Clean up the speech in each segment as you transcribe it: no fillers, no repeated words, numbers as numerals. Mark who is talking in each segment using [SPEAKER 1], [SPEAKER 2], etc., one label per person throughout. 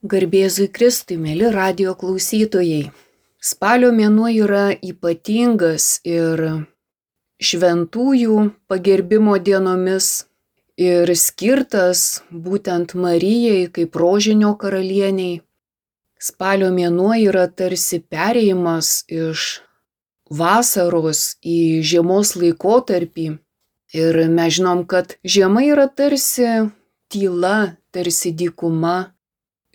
[SPEAKER 1] Garbėzui Kristui, mėly radijo klausytojai. Spalio mėnuo yra ypatingas ir šventųjų pagerbimo dienomis ir skirtas būtent Marijai kaip rožinio karalieniai. Spalio mėnuo yra tarsi perėjimas iš vasaros į žiemos laikotarpį. Ir mes žinom, kad žiema yra tarsi tyla, tarsi dykuma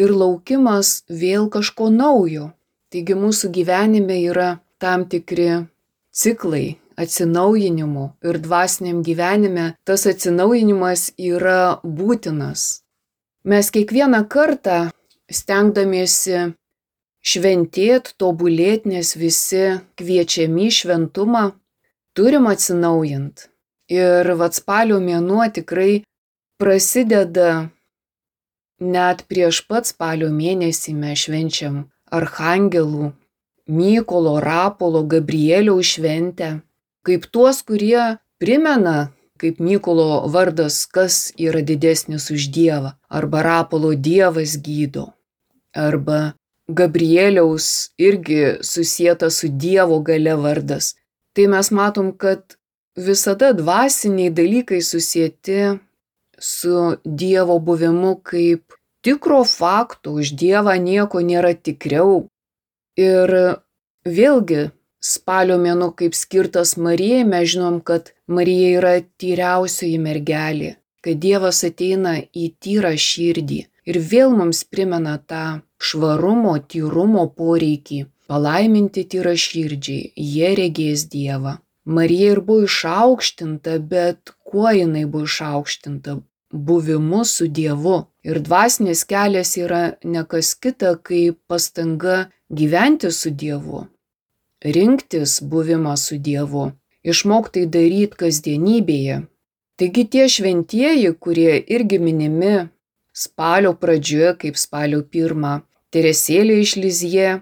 [SPEAKER 1] ir laukimas vėl kažko naujo. Taigi mūsų gyvenime yra tam tikri ciklai atsinaujinimų ir dvasiniam gyvenime tas atsinaujinimas yra būtinas. Mes kiekvieną kartą stengdamiesi šventėt, tobulėt, nes visi kviečiami į šventumą, turim atsinaujint. Ir spalio mėnuo tikrai prasideda net prieš pat spalio mėnesį mes švenčiam archangelų, Mykolo, Rapolo, Gabrieliaus šventę, kaip tuos, kurie primena, kaip Mykolo vardas, kas yra didesnis už Dievą, arba Rapolo Dievas gydo, arba Gabrieliaus irgi susieta su Dievo galia vardas. Tai mes matom, kad visada dvasiniai dalykai susieti su Dievo buvimu kaip tikro fakto, už Dievą nieko nėra tikriau. Ir vėlgi spalio mėnuo kaip skirtas Marijai, mes žinom, kad Marija yra tyriausioji mergelė, kad Dievas ateina į tyrą širdį ir vėl mums primena tą švarumo, tyrumo poreikį, palaiminti tyrą širdžiai, jie regės Dievą. Marija ir buvo išaukštinta, bet kuo jinai buvo išaukštinta? Buvimu su Dievu. Ir dvasinis kelias yra ne kas kita, kaip pastanga gyventi su Dievu, rinktis buvimą su Dievu, išmokti daryti kasdienybėje. Taigi tie šventieji, kurie irgi minimi spalio pradžioje, kaip spalio 1, Teresėlė iš Lizjė,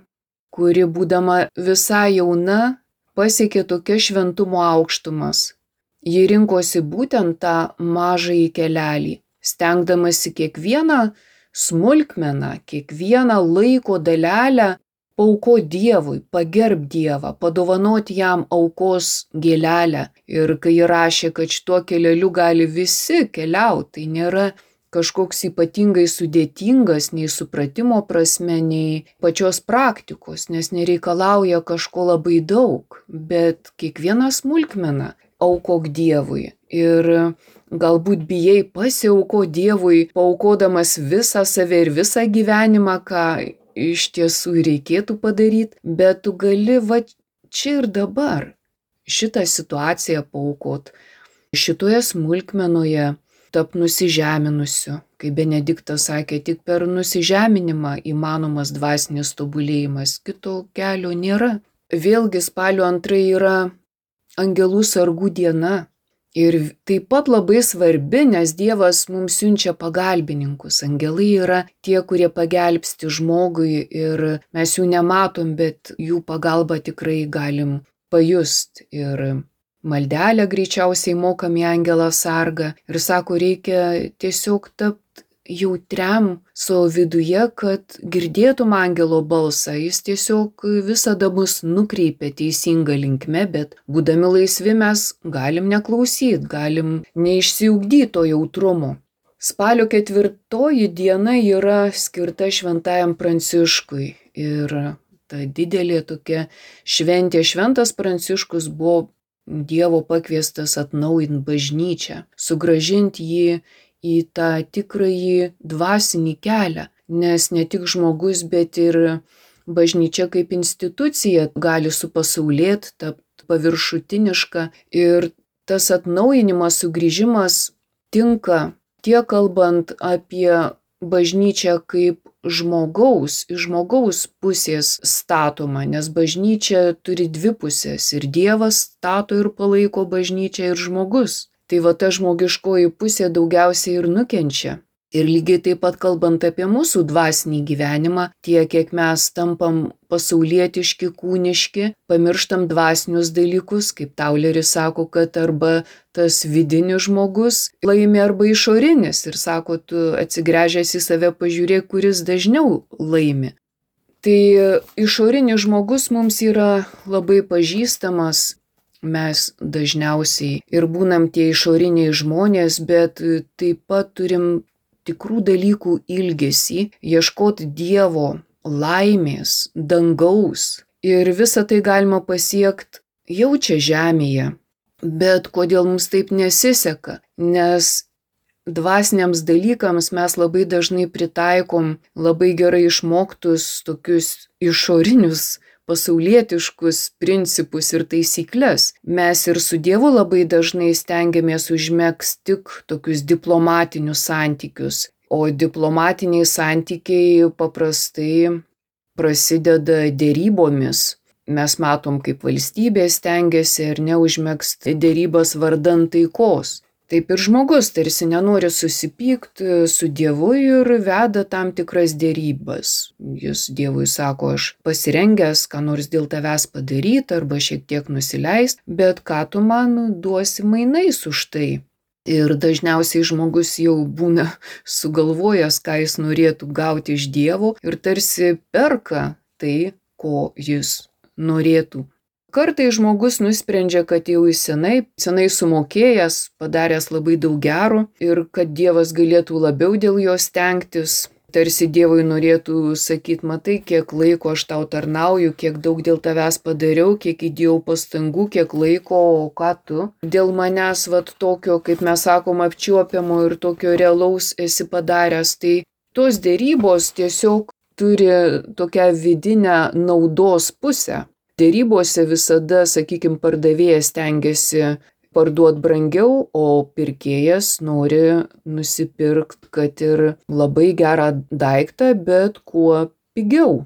[SPEAKER 1] kuri būdama visai jauna, pasiekė tokias šventumo aukštumas. Ji rinkosi būtent tą mažąjį kelelį, stengdamasi kiekvieną smulkmeną, kiekvieną laiko dalelę paaukoti Dievui, pagerb Dievą, padovanoti jam aukos gėlelę. Ir kai ji rašė, kad šituo keleliu gali visi keliauti, tai nėra kažkoks ypatingai sudėtingas nei supratimo prasme, nei pačios praktikos, nes nereikalauja kažko labai daug, bet kiekvieną smulkmeną aukok Dievui. Ir galbūt bijai pasiauko Dievui, paaukodamas visą save ir visą gyvenimą, ką iš tiesų reikėtų padaryti, bet tu gali čia ir dabar šitą situaciją paaukot. Šitoje smulkmenoje tap nusižeminusiu, kaip Benediktas sakė, tik per nusižeminimą įmanomas dvasinis tobulėjimas, kito kelio nėra. Vėlgi spalio 2 yra angelų sargų diena ir taip pat labai svarbi, nes Dievas mums siunčia pagalbininkus. Angelai yra tie, kurie pagelbsti žmogui ir mes jų nematom, bet jų pagalbą tikrai galim pajust. Ir maldelę greičiausiai mokam į angelą sargą ir sako, reikia tiesiog tapti jautriam savo viduje, kad girdėtum angelo balsą. Jis tiesiog visada mus nukreipia teisinga linkme, bet būdami laisvi mes galim neklausyti, galim neišsiugdyti to jautrumo. Spalio 4 diena yra skirta šventajam Pranciškui ir ta didelė tokia šventė. Šventas Pranciškus buvo Dievo pakviestas atnaujinti bažnyčią, sugrąžinti jį į tą tikrąjį dvasinį kelią, nes ne tik žmogus, bet ir bažnyčia kaip institucija gali supasaulėti, tapti paviršutiniška ir tas atnaujinimas, sugrįžimas tinka tiek kalbant apie bažnyčią kaip žmogaus, iš žmogaus pusės statoma, nes bažnyčia turi dvi pusės ir Dievas stato ir palaiko bažnyčią ir žmogus. Tai ta žmogiškoji pusė daugiausiai ir nukenčia. Ir lygiai taip pat kalbant apie mūsų dvasinį gyvenimą, tiek kiek mes tampam pasaulietiški, kūniški, pamirštam dvasinius dalykus, kaip Tauleris sako, kad arba tas vidinis žmogus laimi arba išorinis ir sako, tu atsigręžęs į save pažiūrėk, kuris dažniau laimi. Tai išorinis žmogus mums yra labai pažįstamas, mes dažniausiai ir būnam tie išoriniai žmonės, bet taip pat turim tikrų dalykų ilgesį, ieškoti Dievo laimės, dangaus. Ir visą tai galima pasiekti jau čia žemėje. Bet kodėl mums taip nesiseka? Nes dvasiniams dalykams mes labai dažnai pritaikom labai gerai išmoktus tokius išorinius pasaulietiškus principus ir taisyklės. Mes ir su Dievu labai dažnai stengiamės užmegzti tik tokius diplomatinius santykius, o diplomatiniai santykiai paprastai prasideda derybomis. Mes matom, kaip valstybė stengiasi ar neužmegzti derybas vardan taikos. Taip ir žmogus tarsi nenori susipykti su Dievu ir veda tam tikras derybas. Jis Dievui sako, aš pasirengęs ką nors dėl tavęs padaryti arba šiek tiek nusileist, bet ką tu man duosi mainais už tai? Ir dažniausiai žmogus jau būna sugalvojęs, ką jis norėtų gauti iš Dievo ir tarsi perka tai, ko jis norėtų. Kartai žmogus nusprendžia, kad jau jis senai sumokėjęs, padaręs labai daug gero ir kad Dievas galėtų labiau dėl jo stengtis. Tarsi Dievui norėtų sakyti, matai, kiek laiko aš tau tarnauju, kiek daug dėl tavęs padariau, kiek įdėjau pastangų, kiek laiko, o ką tu dėl manęs tokio, kaip mes sakom, apčiuopiamo ir tokio realaus esi padaręs. Tai tos derybos tiesiog turi tokią vidinę naudos pusę. Derybose visada, sakykime, pardavėjas stengiasi parduoti brangiau, o pirkėjas nori nusipirkti, kad ir labai gerą daiktą, bet kuo pigiau.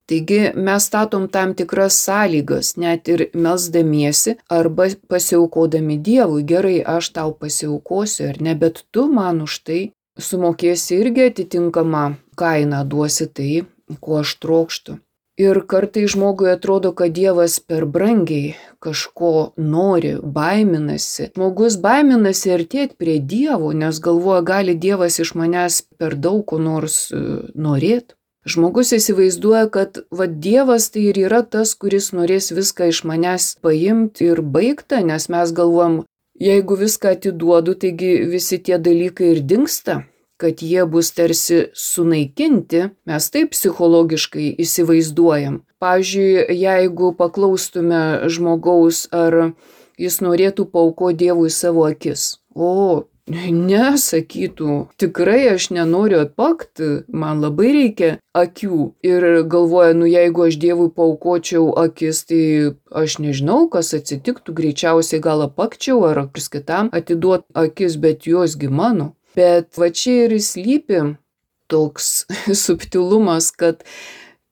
[SPEAKER 1] Taigi mes statom tam tikras sąlygas, net ir melsdamiesi arba pasiaukodami Dievui. Gerai, aš tau pasiaukosiu ar ne, bet tu man už tai sumokėsi irgi atitinkamą kainą, duosi tai, ko aš trokštu. Ir kartai žmogui atrodo, kad Dievas per brangiai kažko nori, baiminasi. Žmogus baiminasi artėti prie Dievo, nes galvoja, gali Dievas iš manęs per daug ko nors norėti. Žmogus įsivaizduoja, kad Dievas tai ir yra tas, kuris norės viską iš manęs paimti ir baigta, nes mes galvojam, jeigu viską atiduodu, taigi visi tie dalykai ir dingsta. Kad jie bus tarsi sunaikinti, mes taip psichologiškai įsivaizduojam. Pavyzdžiui, jeigu paklaustume žmogaus, ar jis norėtų paaukoti Dievui savo akis. O, ne, sakytų, tikrai aš nenoriu atpakti, man labai reikia akių. Ir galvoja, jeigu aš Dievui paaukočiau akis, tai aš nežinau, kas atsitiktų, greičiausiai gal apakčiau ar kas kitam atiduot akis, bet josgi mano. Bet čia ir slypi toks subtilumas, kad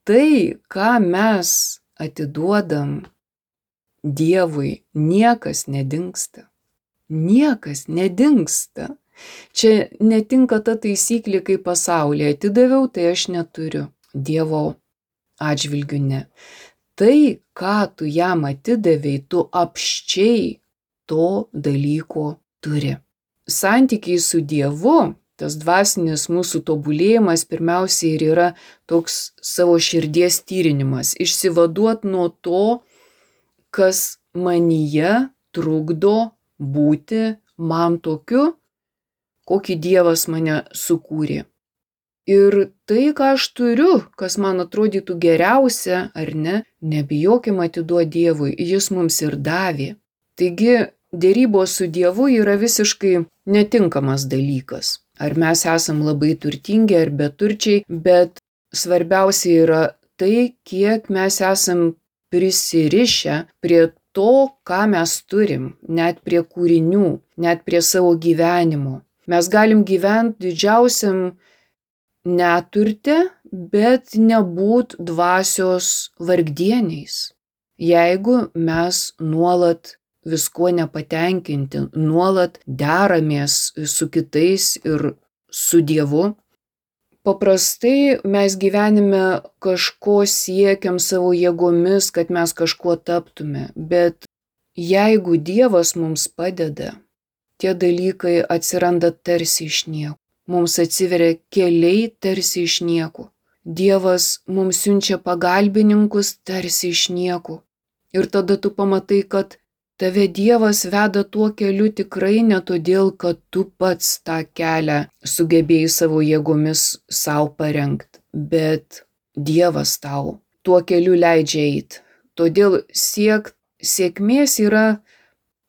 [SPEAKER 1] tai, ką mes atiduodam Dievui, niekas nedingsta. Niekas nedingsta. Čia netinka ta taisyklė, kaip pasaulyje atidaviau, tai aš neturiu. Dievo atžvilgiu ne. Tai, ką tu jam atidavei, tu apščiai to dalyko turi. Santykiai su Dievu, tas dvasinis mūsų tobulėjimas pirmiausiai ir yra toks savo širdies tyrinimas, išsivaduot nuo to, kas manyje trukdo būti man tokiu, kokį Dievas mane sukūrė. Ir tai, ką aš turiu, kas man atrodytų geriausia ar ne, nebijokim atiduoti Dievui, jis mums ir davė. Taigi, derybos su Dievu yra visiškai netinkamas dalykas. Ar mes esam labai turtingi ar beturčiai, bet svarbiausia yra tai, kiek mes esam prisirišę prie to, ką mes turim, net prie kūrinių, net prie savo gyvenimo. Mes galim gyventi didžiausiam neturte, bet nebūt dvasios vargdieniais. Jeigu mes nuolat viskuo nepatenkinti, nuolat deramės su kitais ir su Dievu. Paprastai mes gyvenime kažko siekiam savo jėgomis, kad mes kažkuo taptume, bet jeigu Dievas mums padeda, tie dalykai atsiranda tarsi iš nieko. Mums atsiveria keliai tarsi iš nieko. Dievas mums siunčia pagalbininkus tarsi iš nieko. Ir tada tu pamatai, kad tave Dievas veda tuo keliu tikrai ne todėl, kad tu pats tą kelią sugebėjai savo jėgomis savo parengti, bet Dievas tau tuo keliu leidžia eiti. Todėl sėkmės yra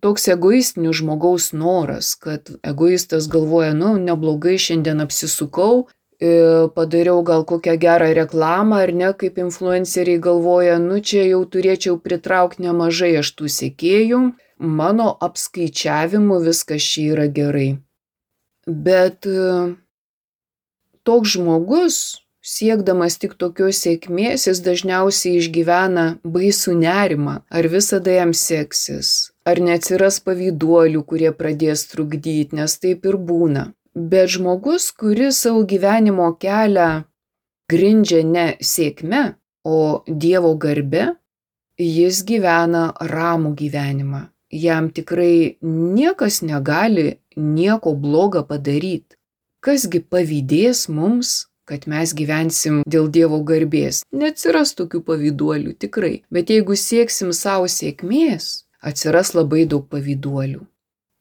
[SPEAKER 1] toks egoistinis žmogaus noras, kad egoistas galvoja, neblogai šiandien apsisukau, padariau gal kokią gerą reklamą ar ne, kaip influenceriai galvoja, čia jau turėčiau pritraukti nemažai aš tų sekėjų, mano apskaičiavimu viskas čia yra gerai. Bet toks žmogus, siekdamas tik tokios sėkmės, jis dažniausiai išgyvena baisų nerimą, ar visada jam seksis, ar neatsiras pavyduolių, kurie pradės trukdyti, nes taip ir būna. Bet žmogus, kuris savo gyvenimo kelią grindžia ne sėkme, o Dievo garbe, jis gyvena ramų gyvenimą. Jam tikrai niekas negali nieko blogo padaryti. Kasgi pavydės mums, kad mes gyvensim dėl Dievo garbės? Neatsiras tokių pavyduolių, tikrai. Bet jeigu sieksim savo sėkmės, atsiras labai daug pavyduolių.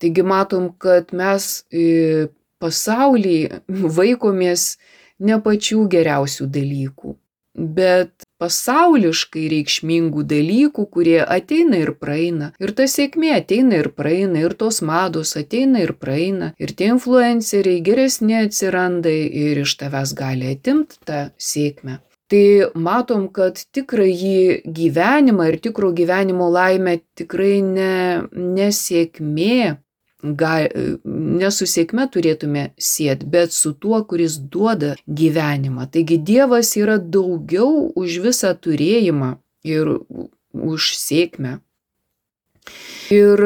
[SPEAKER 1] Taigi matom, kad mes pasaulyje vaikomės ne pačių geriausių dalykų, bet pasauliškai reikšmingų dalykų, kurie ateina ir praeina. Ir ta sėkmė ateina ir praeina, ir tos mados ateina ir praeina, ir tie influenceriai geresni atsiranda ir iš tavęs gali atimti tą sėkmę. Tai matom, kad tikrąjį gyvenimą ir tikro gyvenimo laimę tikrai ne sėkmė, ne su sėkme turėtume sieti, bet su tuo, kuris duoda gyvenimą. Taigi Dievas yra daugiau už visą turėjimą ir už sėkmę. Ir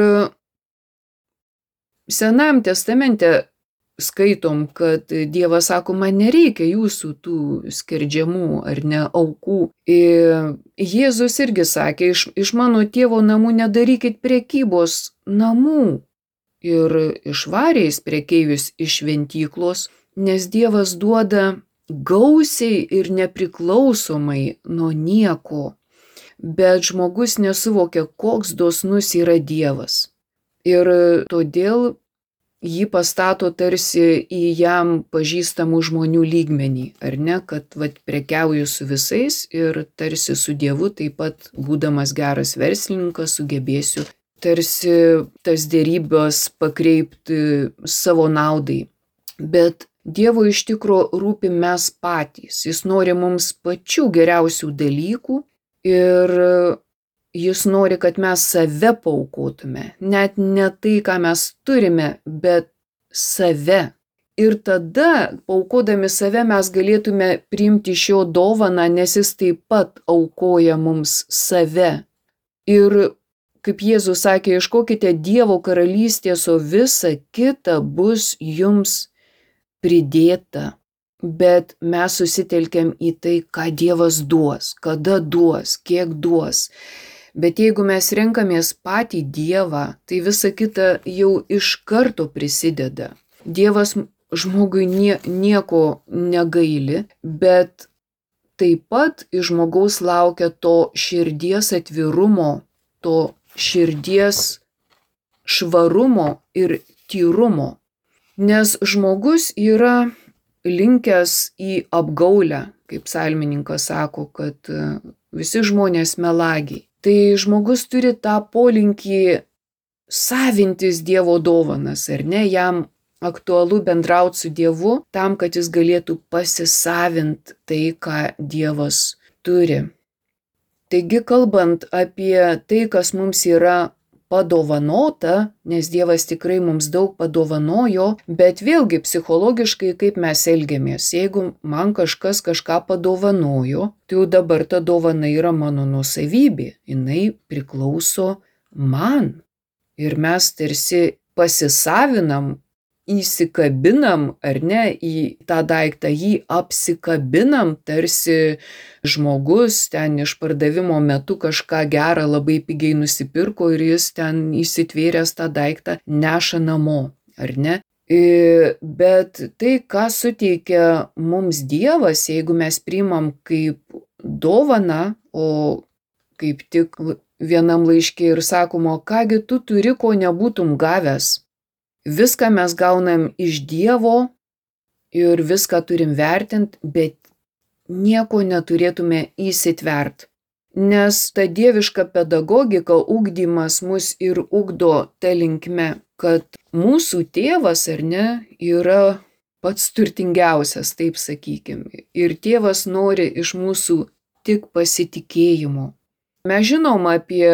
[SPEAKER 1] Senajam testamente skaitom, kad Dievas sako, man nereikia jūsų tų skerdžiamų ar ne aukų. Ir Jėzus irgi sakė, iš mano tėvo namų nedarykit prekybos namų. Ir išvarė jis prekeivius iš šventyklos, nes Dievas duoda gausiai ir nepriklausomai nuo nieko. Bet žmogus nesuvokia, koks dosnus yra Dievas. Ir todėl jį pastato tarsi į jam pažįstamų žmonių lygmenį, ar ne, kad prekiauju su visais ir tarsi su Dievu taip pat, būdamas geras verslininkas, sugebėsiu tarsi tas derybos pakreipti savo naudai. Bet Dievo iš tikro rūpi mes patys. Jis nori mums pačių geriausių dalykų ir jis nori, kad mes save paaukotume. Net ne tai, ką mes turime, bet save. Ir tada, paaukodami save, mes galėtume priimti iš jo dovaną, nes jis taip pat aukoja mums save. Ir kaip Jėzus sakė, ieškokite Dievo karalystės, o visa kita bus jums pridėta. Bet mes susitelkiam į tai, ką Dievas duos, kada duos, kiek duos. Bet jeigu mes renkamės patį Dievą, tai visa kita jau iš karto prisideda. Dievas žmogui nieko negaili, bet taip pat iš žmogaus laukia to širdies atvirumo, to širdies švarumo ir tyrumo. Nes žmogus yra linkęs į apgaulę, kaip psalmininkas sako, kad visi žmonės melagiai. Tai žmogus turi tą polinkį savintis Dievo dovanas, ar ne, jam aktualu bendrauti su Dievu tam, kad jis galėtų pasisavinti tai, ką Dievas turi. Taigi, kalbant apie tai, kas mums yra padovanota, nes Dievas tikrai mums daug padovanojo, bet vėlgi psichologiškai kaip mes elgiamės. Jeigu man kažkas kažką padovanojo, tai jau dabar ta dovana yra mano nuosavybė, jinai priklauso man. Ir mes tarsi pasisavinam įsikabinam, ar ne, į tą daiktą, jį apsikabinam, tarsi žmogus ten išpardavimo metu kažką gerą labai pigiai nusipirko ir jis ten įsitvėręs tą daiktą neša namo, ar ne? Bet tai, ką suteikia mums Dievas, jeigu mes priimam kaip dovaną, o kaip tik vienam laiške ir sakoma, kągi tu turi, ko nebūtum gavęs. Viską mes gaunam iš Dievo ir viską turim vertinti, bet nieko neturėtume įsitvert. Nes ta dieviška pedagogika, ugdymas mus ir ugdo ta linkme, kad mūsų tėvas, ar ne, yra pats turtingiausias, taip sakykim. Ir tėvas nori iš mūsų tik pasitikėjimo. Mes žinom apie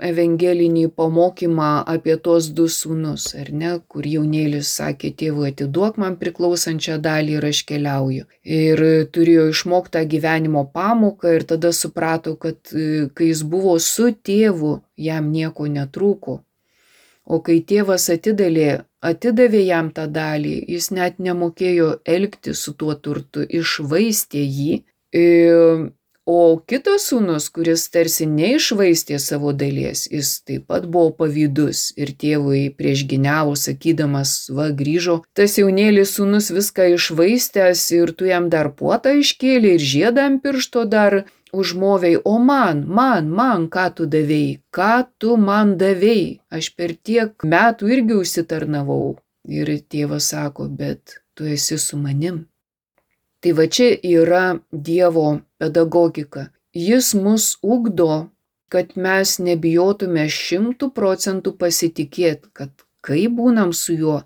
[SPEAKER 1] evangelinį pamokymą apie tos du sūnus, ar ne, kur jaunėlis sakė tėvui, atiduok man priklausančią dalį ir aš keliauju. Ir turėjo išmoktą gyvenimo pamoką ir tada suprato, kad kai jis buvo su tėvu, jam nieko netrūko. O kai tėvas atidavė jam tą dalį, jis net nemokėjo elgtis su tuo turtu, iššvaistė jį. O kitas sūnus, kuris tarsi neišvaistė savo dalies, jis taip pat buvo pavydus ir tėvui priešginiavo, sakydamas, va, grįžo tas jaunėlis sūnus viską išvaistęs ir tu jam dar puotą iškėlė ir žiedą ant piršto dar užmovei, o man, ką tu davei, ką tu man davei, aš per tiek metų irgi užsitarnavau. Ir tėvas sako, bet tu esi su manim. Tai va čia yra Dievo pedagogika. Jis mus ugdo, kad mes nebijotume 100% pasitikėti, kad kai būnam su juo,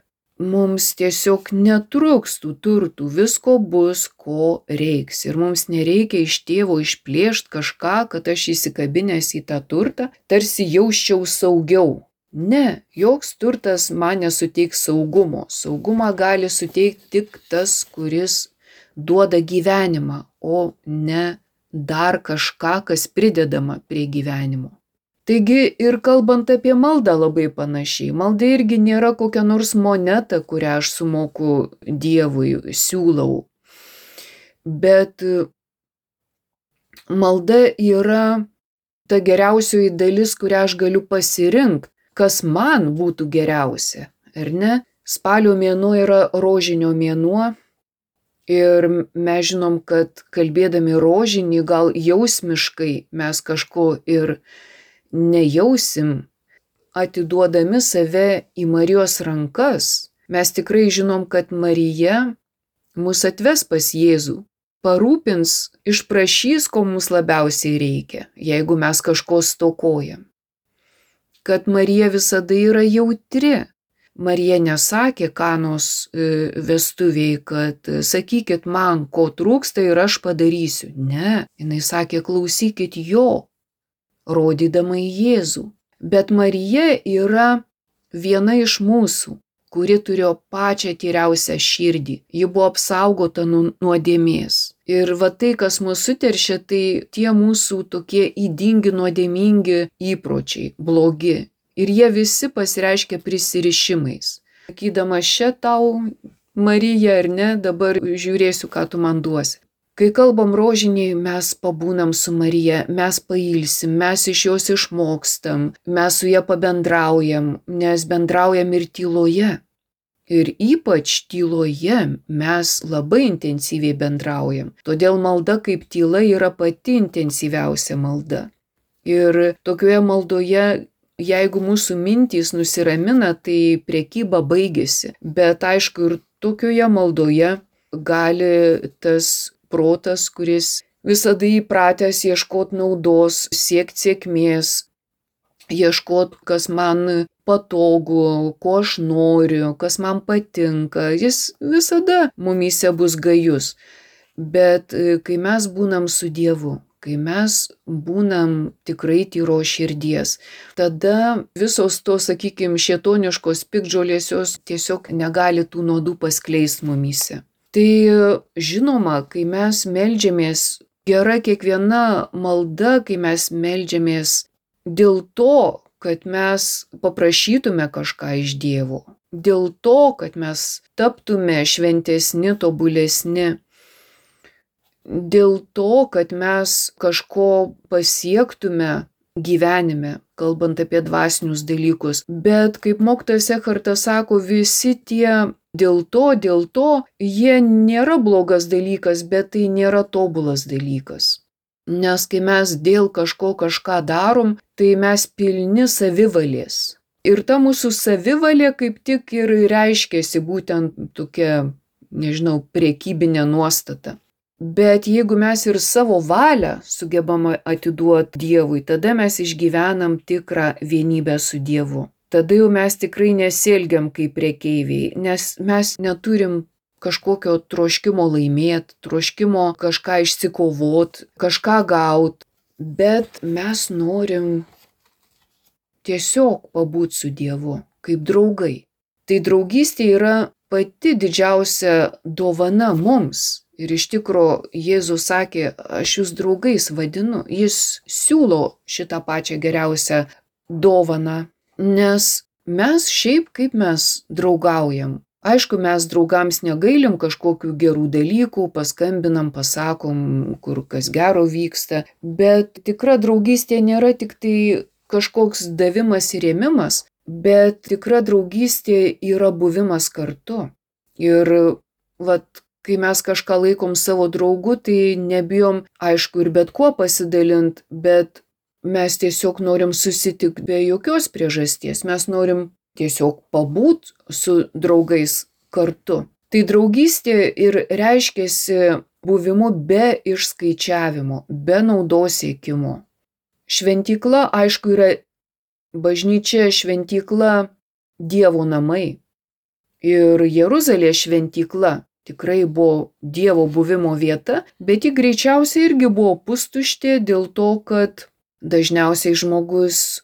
[SPEAKER 1] mums tiesiog netruks tų turtų, visko bus, ko reiks. Ir mums nereikia iš tėvo išplėšti kažką, kad aš įsikabinęs į tą turtą, tarsi jausčiau saugiau. Ne, joks turtas man nesuteiks saugumo. Saugumą gali suteikti tik tas, kuris duoda gyvenimą, o ne dar kažką, kas pridedama prie gyvenimo. Taigi ir kalbant apie maldą labai panašiai, malda irgi nėra kokia nors moneta, kurią aš sumoku Dievui, siūlau. Bet malda yra ta geriausioji dalis, kurią aš galiu pasirinkti, kas man būtų geriausia, ar ne? Spalio mėnuo yra rožinio mėnuo. Ir mes žinom, kad kalbėdami rožinį gal jausmiškai mes kažko ir nejausim, atiduodami save į Marijos rankas. Mes tikrai žinom, kad Marija mus atves pas Jėzų, parūpins, išprašys, ko mums labiausiai reikia, jeigu mes kažko stokojam. Kad Marija visada yra jautri. Marija nesakė Kanos vestuviai, kad sakykit man, ko trūksta ir aš padarysiu. Ne, jinai sakė, klausykit jo, rodydama į Jėzų. Bet Marija yra viena iš mūsų, kuri turėjo pačią tyriausią širdį. Ji buvo apsaugota nuo nuodėmės. Ir va tai, kas mus suteršia, tai tie mūsų tokie ydingi, nuodėmingi įpročiai, blogi. Ir jie visi pasireiškia prisirišimais. Sakydama, šia tau, Marija, ar ne, dabar žiūrėsiu, ką tu man duosi. Kai kalbam rožinį, mes pabūnam su Marija, mes pailsim, mes iš jos išmokstam, mes su ja pabendraujam, nes bendraujam ir tyloje. Ir ypač tyloje mes labai intensyviai bendraujam. Todėl malda kaip tyla yra pati intensyviausia malda. Ir tokioje maldoje, jeigu mūsų mintys nusiramina, tai prekyba baigėsi. Bet aišku, ir tokioje maldoje gali tas protas, kuris visada įpratęs ieškoti naudos, siekti sėkmės, ieškoti, kas man patogu, ko aš noriu, kas man patinka, jis visada mumyse bus gajus. Bet kai mes būnam su Dievu, kai mes būnam tikrai tyros širdies, tada visos tos, sakykime, šėtoniškos piktžolės jos tiesiog negali tų nuodų paskleisti mumyse. Tai žinoma, kai mes meldžiamės, gera kiekviena malda, kai mes meldžiamės dėl to, kad mes paprašytume kažką iš Dievo. dėl to, kad mes taptume šventesni, tobulesni, dėl to, kad mes kažko pasiektume gyvenime, kalbant apie dvasinius dalykus. Bet, kaip mokytojas Ekhartas sako, visi tie dėl to, jie nėra blogas dalykas, bet tai nėra tobulas dalykas. Nes kai mes dėl kažką darom, tai mes pilni savivalės. Ir ta mūsų savivalė kaip tik ir reiškiasi būtent tokia, prekybinė nuostata. Bet jeigu mes ir savo valią sugebam atiduoti Dievui, tada mes išgyvenam tikrą vienybę su Dievu. Tada jau mes tikrai nesielgiam kaip prekeiviai, nes mes neturim kažkokio troškimo laimėti, troškimo kažką išsikovot, kažką gaut, bet mes norim tiesiog pabūt su Dievu, kaip draugai. Tai draugystė yra pati didžiausia dovana mums. Ir iš tikro Jėzus sakė, aš jūs draugais vadinu, jis siūlo šitą pačią geriausią dovaną, nes mes šiaip kaip mes draugaujam. Aišku, mes draugams negailim kažkokių gerų dalykų, paskambinam, pasakom, kur kas gero vyksta, bet tikra draugystė nėra tik tai kažkoks davimas ir ėmimas, bet tikra draugystė yra buvimas kartu. Ir kai mes kažką laikom savo draugu, tai nebijom, aišku, ir bet kuo pasidalint, bet mes tiesiog norim susitikti be jokios priežasties. Mes norim tiesiog pabūt su draugais kartu. Tai draugystė ir reiškiasi buvimu be išskaičiavimo, be naudos siekimo. Šventykla, aišku, yra bažnyčia, šventykla Dievo namai. Ir Jeruzalės šventykla tikrai buvo Dievo buvimo vieta, bet ji greičiausiai irgi buvo pustuštė dėl to, kad dažniausiai žmogus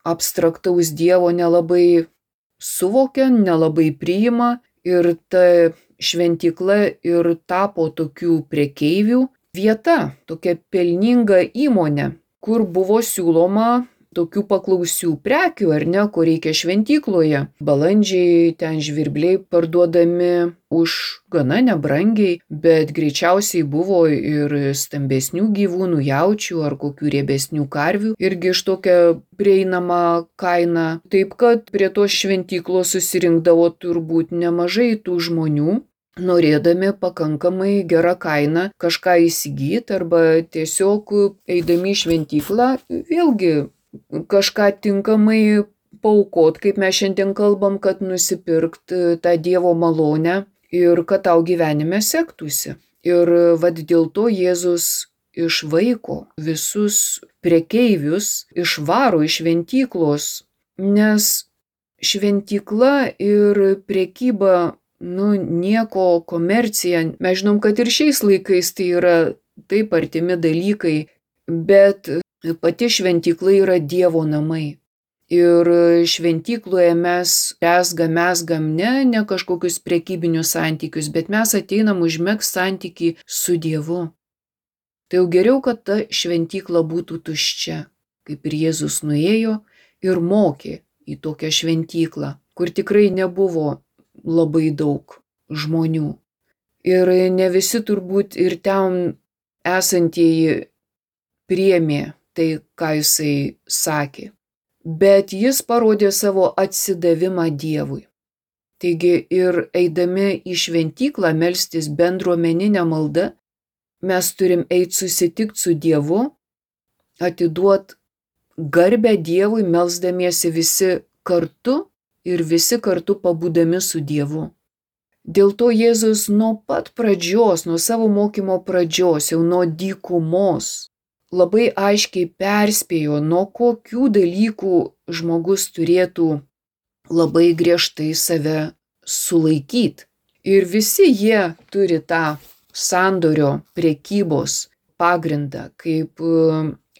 [SPEAKER 1] abstraktaus Dievo nelabai suvokia, nelabai priima ir ta šventykla ir tapo tokių prekeivių vieta, tokia pelninga įmonė, kur buvo siūloma tokių paklausių prekių, ar ne, ko reikia šventykloje. Balandžiai, ten žvirbliai parduodami už gana nebrangiai, bet greičiausiai buvo ir stambesnių gyvūnų, jaučių ar kokių riebesnių karvių, irgi iš tokia prieinama kaina. Taip kad prie tos šventyklos susirinkdavo turbūt nemažai tų žmonių, norėdami pakankamai gerą kainą kažką įsigyti arba tiesiog eidami į šventyklą vėlgi kažką tinkamai paaukot, kaip mes šiandien kalbam, kad nusipirkt tą Dievo malonę ir kad tau gyvenime sektųsi. Ir dėl to Jėzus išvaiko visus prekeivius, išvaro iš šventyklos, nes šventykla ir prekyba, nieko, komercija, mes žinom, kad ir šiais laikais tai yra taip artimi dalykai, bet pati šventykla yra Dievo namai. Ir šventykloje mes mesgam ne kažkokius prekybinius santykius, bet mes ateinam užmegzti santykį su Dievu. Tai jau geriau, kad ta šventykla būtų tuščia, kaip ir Jėzus nuėjo ir mokė į tokią šventyklą, kur tikrai nebuvo labai daug žmonių. Ir ne visi turbūt ir ten esantieji priėmė tai, ką jisai sakė. Bet jis parodė savo atsidavimą Dievui. Taigi ir eidami į šventyklą melstis bendruomeninę maldą, mes turim eiti susitikti su Dievu, atiduot garbę Dievui, melsdamiesi visi kartu ir visi kartu pabūdami su Dievu. Dėl to Jėzus nuo pat pradžios, nuo savo mokymo pradžios, jau nuo dykumos, labai aiškiai perspėjo, nuo kokių dalykų žmogus turėtų labai griežtai save sulaikyti. Ir visi jie turi tą sandorio prekybos pagrindą. Kaip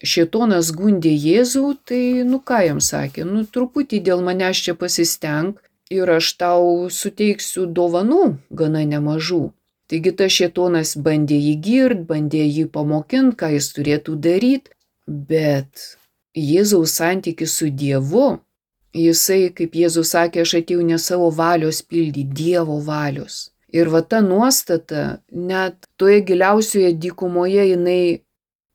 [SPEAKER 1] šėtonas gundė Jėzų, tai ką jam sakė, truputį dėl manęs čia pasistenk ir aš tau suteiksiu dovanų gana nemažų. Taigi tas šėtonas bandė jį girt, bandė jį pamokinti, ką jis turėtų daryti, bet Jėzaus santykis su Dievu Jisai, kaip Jėzus sakė, aš atėjau ne savo valios pildyti, Dievo valios. Ir va ta nuostata, net toje giliausioje dykumoje jinai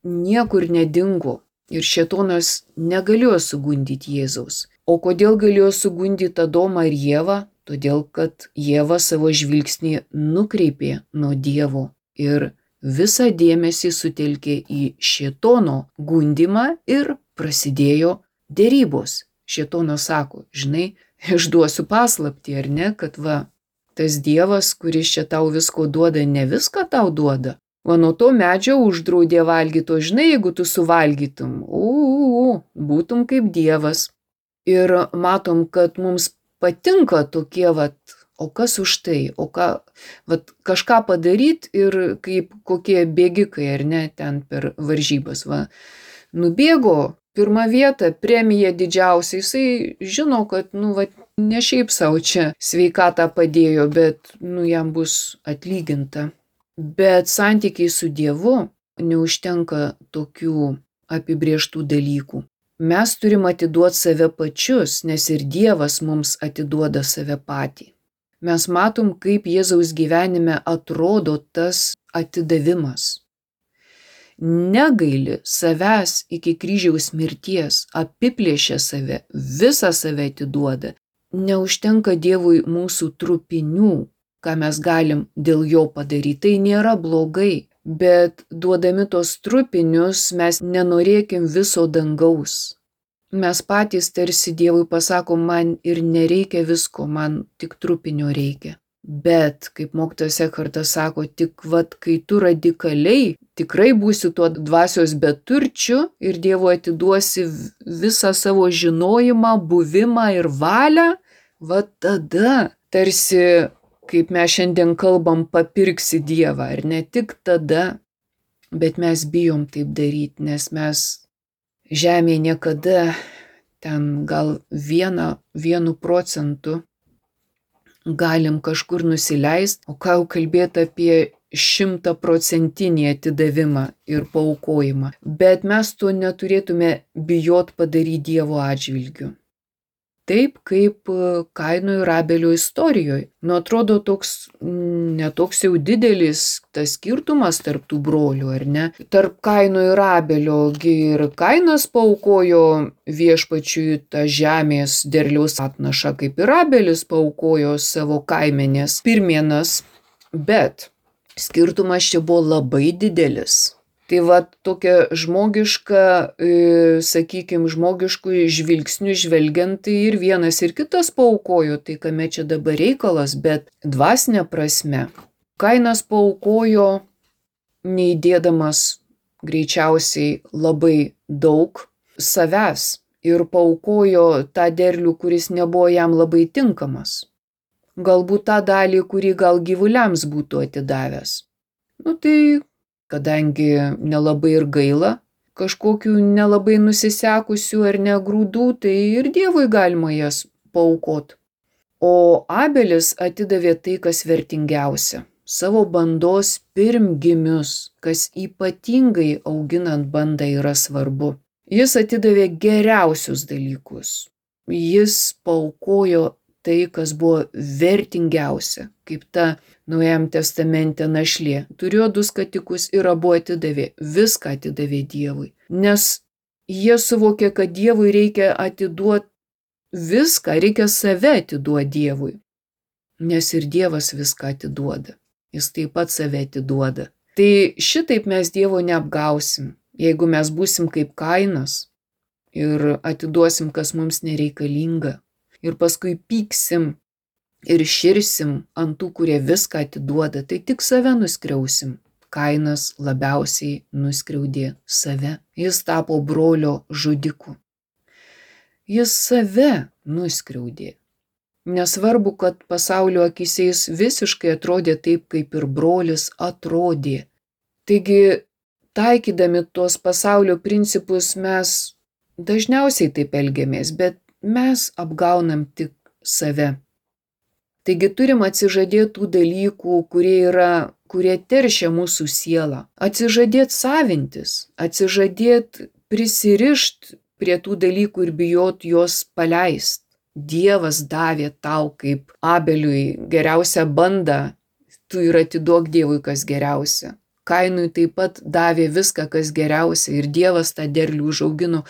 [SPEAKER 1] niekur nedingo. Ir šėtonas negalėjo sugundyti Jėzaus. O kodėl galėjo sugundyti Adomą ir Ievą? Todėl, kad Ieva savo žvilgsnį nukreipė nuo Dievo ir visą dėmesį sutelkė į šėtono gundymą ir prasidėjo derybos. Šėtonas sako, žinai, išduosiu paslaptį, ar ne, kad va, tas Dievas, kuris čia tau visko duoda, ne viską tau duoda. O nuo to medžio uždraudė valgyti, o žinai, jeigu tu suvalgytum, būtum kaip Dievas. Ir matom, kad mums patinka tokie, o kas už tai, kažką padaryti ir kaip kokie bėgikai, ar ne, ten per varžybas, nubėgo pirmą vietą, premija didžiausia, jisai žino, kad, ne šiaip savo čia sveikatą padėjo, bet, jam bus atlyginta. Bet santykiai su Dievu neužtenka tokių apibrėžtų dalykų. Mes turim atiduoti save pačius, nes ir Dievas mums atiduoda save patį. Mes matom, kaip Jėzaus gyvenime atrodo tas atidavimas. Negaili savęs iki kryžiaus mirties, apiplėšia save, visą save atiduoda. Neužtenka Dievui mūsų trupinių, ką mes galim dėl jo padaryti. Tai nėra blogai, bet duodami tos trupinius mes nenorėkim viso dangaus. Mes patys tarsi Dievui pasakom, man ir nereikia visko, man tik trupinio reikia. Bet, kaip mokytojas Ekhartas sako, tik kai tu radikaliai tikrai būsi tuo dvasios beturčiu ir Dievui atiduosi visą savo žinojimą, buvimą ir valią, tada tarsi, kaip mes šiandien kalbam, papirksi Dievą. Ir ne tik tada, bet mes bijom taip daryti, nes mes žemėje niekada ten gal 1% galim kažkur nusileisti, o ką jau kalbėti apie 100% atidavimą ir paaukojimą. Bet mes to neturėtume bijot padaryti Dievo atžvilgiu. Taip kaip Kaino ir Abelio istorijoje. Atrodo netoks jau didelis tas skirtumas tarp tų brolių, ar ne? Tarp Kaino ir Abelio ir Kainas paaukojo viešpačiui tą žemės derliaus atnašą, kaip ir Abelis paaukojo savo kaimenės pirmienas, bet skirtumas čia buvo labai didelis. Tai tokia žmogiška, žmogiškų žvilgsnių žvelgiant, tai ir vienas ir kitas paaukojo, tai kame čia dabar reikalas, bet dvasinė prasme. Kainas paaukojo neįdėdamas greičiausiai labai daug savęs ir paaukojo tą derlių, kuris nebuvo jam labai tinkamas. Galbūt tą dalį, kurį gal gyvuliams būtų atidavęs. Tai kadangi nelabai ir gaila, kažkokių nelabai nusisekusių ar ne grūdų, tai ir Dievui galima jas paaukot. O Abelis atidavė tai, kas vertingiausia - savo bandos pirmgimius, kas ypatingai auginant bandą yra svarbu. Jis atidavė geriausius dalykus. Jis paaukojo tai, kas buvo vertingiausia, kaip ta Naujajam testamente našlė. Turėjo 2 skatikus ir abu atidavė, viską atidavė Dievui. Nes jie suvokė, kad Dievui reikia atiduoti viską, reikia save atiduoti Dievui. Nes ir Dievas viską atiduoda. Jis taip pat save atiduoda. Tai šitaip mes Dievo neapgausim, jeigu mes būsim kaip Kainas ir atiduosim, kas mums nereikalinga. Ir paskui pyksim ir širsim ant tų, kurie viską atiduoda, tai tik save nuskriausim. Kainas labiausiai nuskriaudė save. Jis tapo brolio žudiku. Jis save nuskriaudė. Nesvarbu, kad pasaulio akyse jis visiškai atrodė taip, kaip ir brolis atrodė. Taigi, taikydami tuos pasaulio principus mes dažniausiai taip elgiamės, bet mes apgaunam tik save. Taigi turim atsižadėti tų dalykų, kurie teršia mūsų sielą. Atsižadėti savintis, atsižadėti prisirišti prie tų dalykų ir bijot juos paleist. Dievas davė tau kaip Abeliui geriausią bandą, tu ir atiduok Dievui kas geriausia. Kainui taip pat davė viską, kas geriausia, ir Dievas tą derlių užaugino.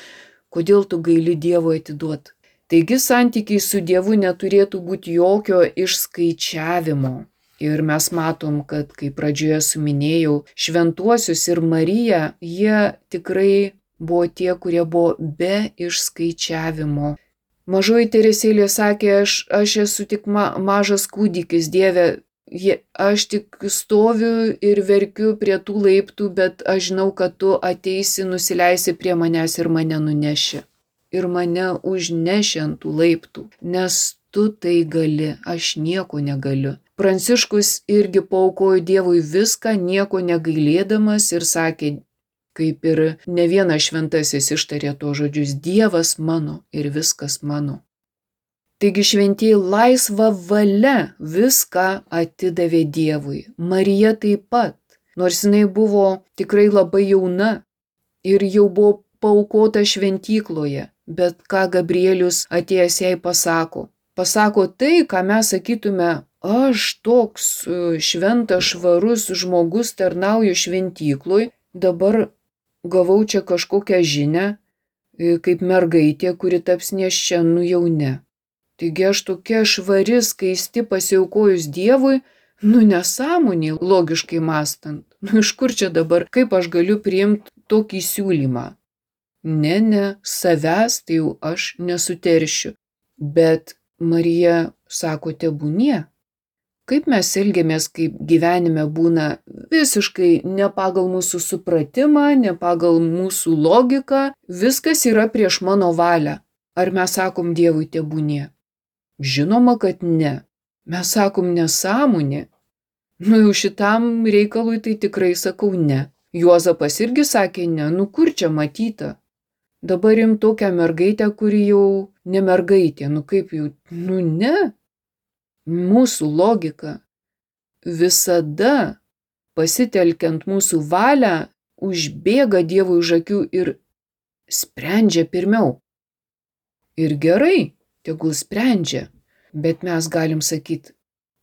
[SPEAKER 1] Kodėl tu gaili Dievui atiduoti? Taigi santykiai su Dievu neturėtų būti jokio išskaičiavimo. Ir mes matom, kad, kaip pradžioje suminėjau, šventuosius ir Mariją, jie tikrai buvo tie, kurie buvo be išskaičiavimo. Mažoji Teresėlė sakė, aš esu tik mažas kūdikis, Dieve, aš tik stoviu ir verkiu prie tų laiptų, bet aš žinau, kad tu ateisi, nusileisi prie manęs ir mane nuneši. Ir mane užneši ant tų laiptų, nes tu tai gali, aš nieko negaliu. Pranciškus irgi paaukojo Dievui viską, nieko negailėdamas, ir sakė, kaip ir ne vienas šventasis ištarė to žodžius, Dievas mano ir viskas mano. Taigi šventieji laisva valia viską atidavė Dievui. Marija taip pat, nors jinai buvo tikrai labai jauna ir jau buvo paaukota šventykloje, bet ką Gabrielius atėjęs jai pasako? Pasako tai, ką mes sakytume, aš toks šventas, švarus žmogus tarnauju šventykloj, dabar gavau čia kažkokią žinią, kaip mergaitė, kuri taps nėščia, jau ne. Taigi aš tokia švari, skaisti, pasiaukojus Dievui, nesąmonė, logiškai mąstant. Iš kur čia dabar, kaip aš galiu priimti tokį siūlymą? Ne, savęs tai jau aš nesuteršiu. Bet Marija sako, tebūnie. Kaip mes elgiamės, kaip gyvenime būna visiškai ne pagal mūsų supratimą, ne pagal mūsų logiką, viskas yra prieš mano valią. Ar mes sakom Dievui tebūnie? Žinoma, kad ne. Mes sakom nesąmonė. Jau šitam reikalui tai tikrai sakau ne. Juozapas irgi sakė ne, kur čia matyta. Dabar imt tokią mergaitę, kuri jau ne mergaitė, kaip jau, ne. Mūsų logika visada, pasitelkiant mūsų valią, užbėga Dievui už akių ir sprendžia pirmiau. Ir gerai, tegul sprendžia, bet mes galim sakyti,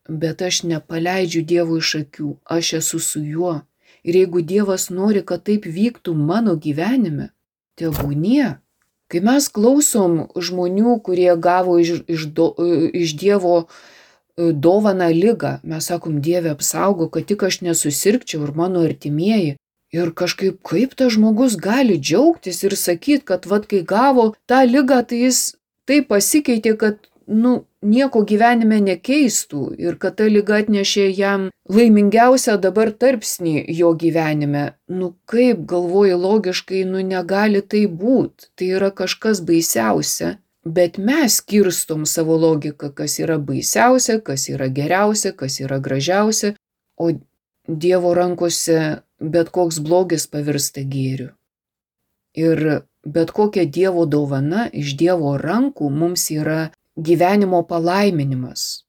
[SPEAKER 1] bet aš nepaleidžiu Dievui iš akių, aš esu su juo. Ir jeigu Dievas nori, kad taip vyktų mano gyvenime, tebūnie. Kai mes klausom žmonių, kurie gavo iš Dievo dovaną ligą, mes sakom, Dieve apsaugo, kad tik aš nesusirgčiau ir mano artimieji. Ir kažkaip, kaip tas žmogus gali džiaugtis ir sakyti, kad kai gavo tą ligą, tai jis taip pasikeitė, kad nieko gyvenime nekeistų ir kad ta liga atnešė jam laimingiausią dabar tarpsnį jo gyvenime. Kaip galvoji logiškai, negali tai būti. Tai yra kažkas baisiausia. Bet mes skirstom savo logiką, kas yra baisiausia, kas yra geriausia, kas yra gražiausia, o Dievo rankose bet koks blogis pavirsta gėriu. Ir bet kokia Dievo dovana iš Dievo rankų mums yra gyvenimo palaiminimas.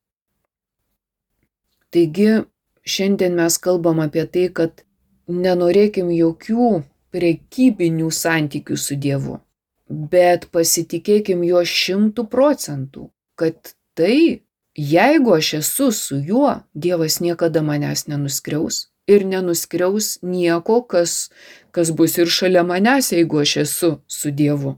[SPEAKER 1] Taigi, šiandien mes kalbam apie tai, kad nenorėkim jokių prekybinių santykių su Dievu. Bet pasitikėkim juo 100%, kad tai, jeigu aš esu su juo, Dievas niekada manęs nenuskriaus ir nenuskriaus nieko, kas bus ir šalia manęs, jeigu aš esu su Dievu.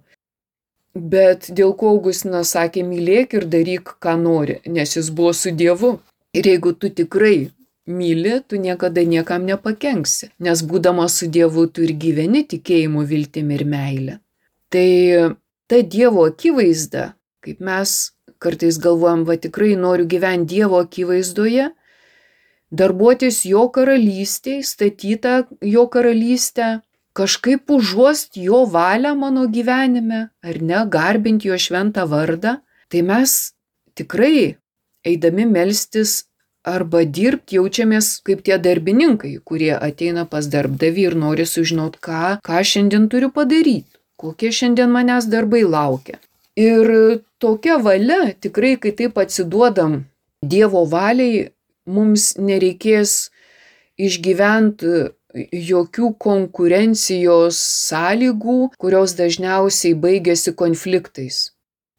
[SPEAKER 1] Bet dėl ko Augustinas sakė, mylėk ir daryk, ką nori, nes jis buvo su Dievu. Ir jeigu tu tikrai myli, tu niekada niekam nepakenksi, nes būdamas su Dievu tu ir gyveni tikėjimu, viltimi ir meile. Tai ta Dievo akivaizda, kaip mes kartais galvojam, tikrai noriu gyventi Dievo akivaizdoje, darbuotis jo karalystėje, statytą jo karalystę, kažkaip užuost jo valią mano gyvenime, ar ne, garbinti jo šventą vardą, tai mes tikrai, eidami melstis arba dirbti, jaučiamės kaip tie darbininkai, kurie ateina pas darbdavį ir nori sužinoti, ką šiandien turiu padaryti. Kokie šiandien manęs darbai laukia. Ir tokia valia, tikrai, kai taip atsiduodam Dievo valiai, mums nereikės išgyventi jokių konkurencijos sąlygų, kurios dažniausiai baigėsi konfliktais.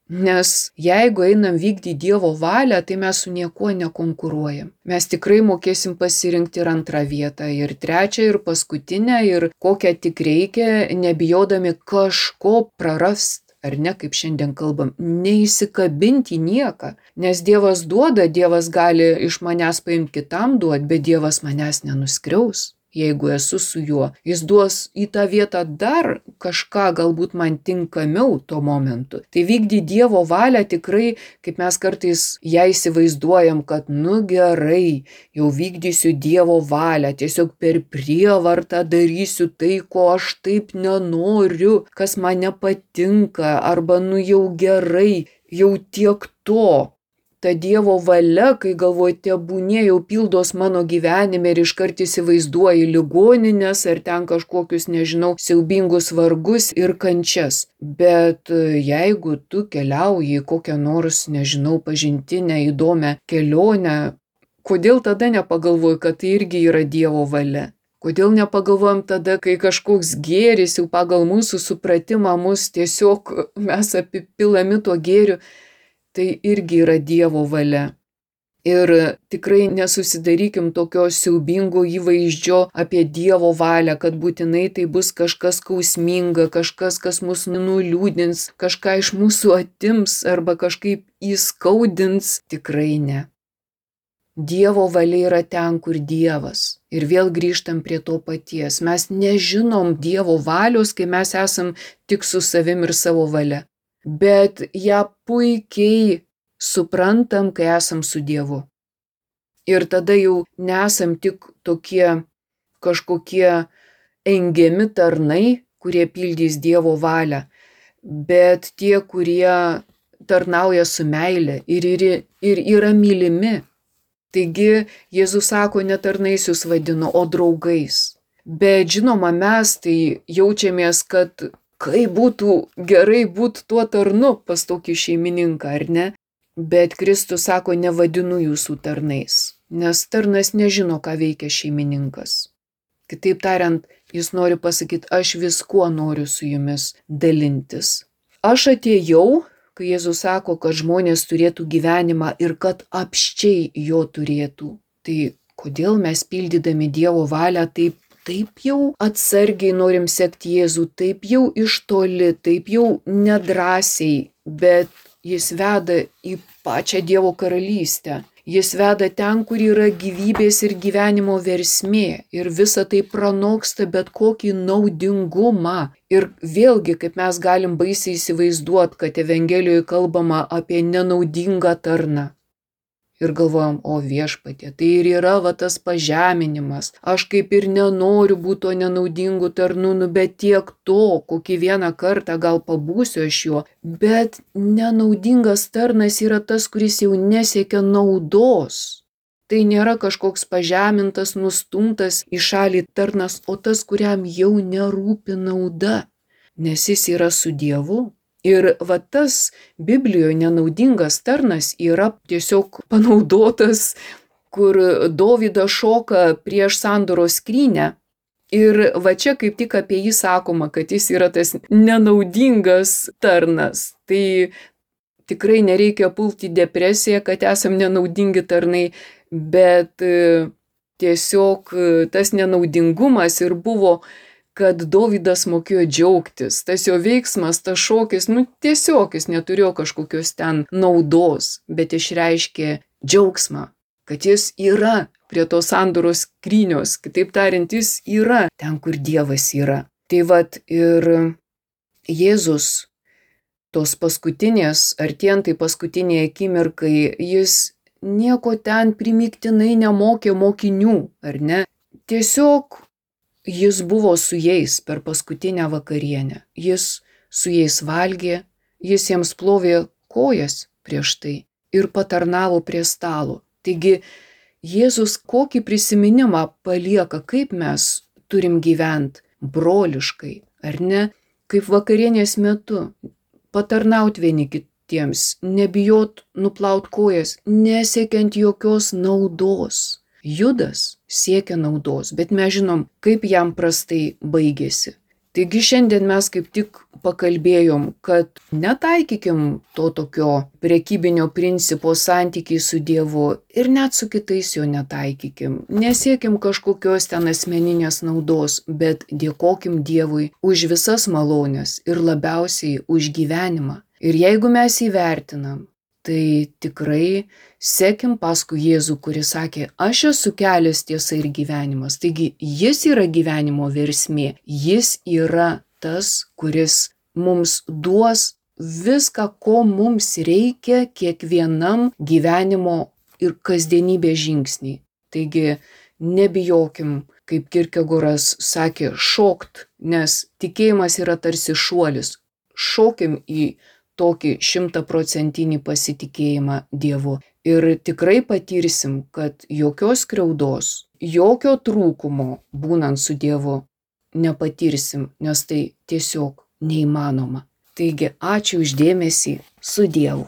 [SPEAKER 1] Nes jeigu einam vykdyti Dievo valią, tai mes su niekuo nekonkuruojam. Mes tikrai mokėsim pasirinkti ir antrą vietą, ir trečią, ir paskutinę, ir kokią tik reikia, nebijodami kažko prarast. Ar ne, kaip šiandien kalbam, neįsikabinti į nieką. Nes Dievas duoda, Dievas gali iš manęs paimti kitam duoti, bet Dievas manęs nenuskriaus. Jeigu esu su juo, jis duos į tą vietą dar kažką galbūt man tinkamiau tuo momentu. Tai vykdyti Dievo valią tikrai, kaip mes kartais ją įsivaizduojam, kad gerai, jau vykdysiu Dievo valią, tiesiog per prievartą darysiu tai, ko aš taip nenoriu, kas man nepatinka, arba jau gerai, jau tiek to. Ta Dievo valia, kai galvoju, tebūnie jau pildos mano gyvenime ir iškart įsivaizduoji ligoninės ar ten kažkokius, siaubingus vargus ir kančias. Bet jeigu tu keliauji į kokią nors, pažintinę, įdomią kelionę, kodėl tada nepagalvoji, kad tai irgi yra Dievo valia? Kodėl nepagalvojam tada, kai kažkoks gėris jau pagal mūsų supratimą tiesiog mes apipilami tuo gėriu, tai irgi yra Dievo valia. Ir tikrai nesusidarykim tokio siaubingo įvaizdžio apie Dievo valią, kad būtinai tai bus kažkas skausminga, kažkas, kas mus nuliūdins, kažką iš mūsų atims arba kažkaip įskaudins. Tikrai ne. Dievo valia yra ten, kur Dievas. Ir vėl grįžtam prie to paties. Mes nežinom Dievo valios, kai mes esam tik su savim ir savo valia. Bet ją puikiai suprantam, kai esam su Dievu. Ir tada jau nesam tik tokie kažkokie engiami tarnai, kurie pildys Dievo valią, bet tie, kurie tarnauja su meile ir yra mylimi. Taigi Jėzus sako, ne tarnais jūs vadino, o draugais. Bet žinoma, mes tai jaučiamės, kad kaip būtų gerai būti tuo tarnu pas tokį šeimininką, ar ne? Bet Kristus sako, nevadinu jūsų tarnais, nes tarnas nežino, ką veikia šeimininkas. Kitaip tariant, jis nori pasakyti, aš viskuo noriu su jumis dalintis. Aš atėjau, kai Jėzus sako, kad žmonės turėtų gyvenimą ir kad apsčiai jo turėtų. Tai kodėl mes pildydami Dievo valią taip jau atsargiai norim sekti Jėzų, taip jau iš toli, taip jau nedrąsiai, bet jis veda į pačią Dievo karalystę. Jis veda ten, kur yra gyvybės ir gyvenimo versmė ir visa tai pranoksta bet kokį naudingumą. Ir vėlgi, kaip mes galim baisiai įsivaizduoti, kad Evangelijoje kalbama apie nenaudingą tarną. Ir galvojam, o Viešpatie, tai ir yra tas pažeminimas. Aš kaip ir nenoriu būti to nenaudingu tarnu, bet tiek to, kokį vieną kartą gal pabūsiu aš juo. Bet nenaudingas tarnas yra tas, kuris jau nesiekia naudos. Tai nėra kažkoks pažemintas, nustumtas į šalį tarnas, o tas, kuriam jau nerūpi nauda, nes jis yra su Dievu. Ir tas Biblijoje nenaudingas tarnas yra tiesiog panaudotas, kur Dovydas šoka prieš sandoros skrynią. Ir čia kaip tik apie jį sakoma, kad jis yra tas nenaudingas tarnas. Tai tikrai nereikia pulti į depresiją, kad esam nenaudingi tarnai, bet tiesiog tas nenaudingumas ir buvo, kad Dovydas mokėjo džiaugtis. Tas jo veiksmas, tas šokis, tiesiog jis neturėjo kažkokios ten naudos, bet išreiškė džiaugsmą, kad jis yra prie tos sandoros skrynios, kitaip tariant, jis yra ten, kur Dievas yra. Tai ir Jėzus tos paskutinės, artėjantai paskutiniai akimirkai, jis nieko ten primygtinai nemokė mokinių, ar ne? Tiesiog jis buvo su jais per paskutinę vakarienę. Jis su jais valgė, jis jiems plovė kojas prieš tai ir patarnavo prie stalo. Taigi Jėzus kokį prisiminimą palieka, kaip mes turim gyventi broliškai, ar ne? Kaip vakarienės metu patarnaut vieni kitiems, nebijot nuplaut kojas, nesiekiant jokios naudos. Judas siekia naudos, bet mes žinom, kaip jam prastai baigėsi. Taigi šiandien mes kaip tik pakalbėjom, kad netaikykim to tokio prekybinio principo santykiai su Dievu ir net su kitais jo netaikykim. Nesiekim kažkokios ten asmeninės naudos, bet dėkokim Dievui už visas malones ir labiausiai už gyvenimą. Ir jeigu mes įvertinam, tai tikrai sekim paskui Jėzų, kuris sakė, aš esu kelias, tiesa ir gyvenimas. Taigi jis yra gyvenimo versmė, jis yra tas, kuris mums duos viską, ko mums reikia kiekvienam gyvenimo ir kasdienybės žingsniai. Taigi nebijokim, kaip Kierkegoras sakė, šokt, nes tikėjimas yra tarsi šuolis. Šokim į tokį 100% pasitikėjimą Dievu. Ir tikrai patirsim, kad jokios skriaudos, jokio trūkumo būnant su Dievu nepatirsim, nes tai tiesiog neįmanoma. Taigi ačiū už dėmesį, su Dievu.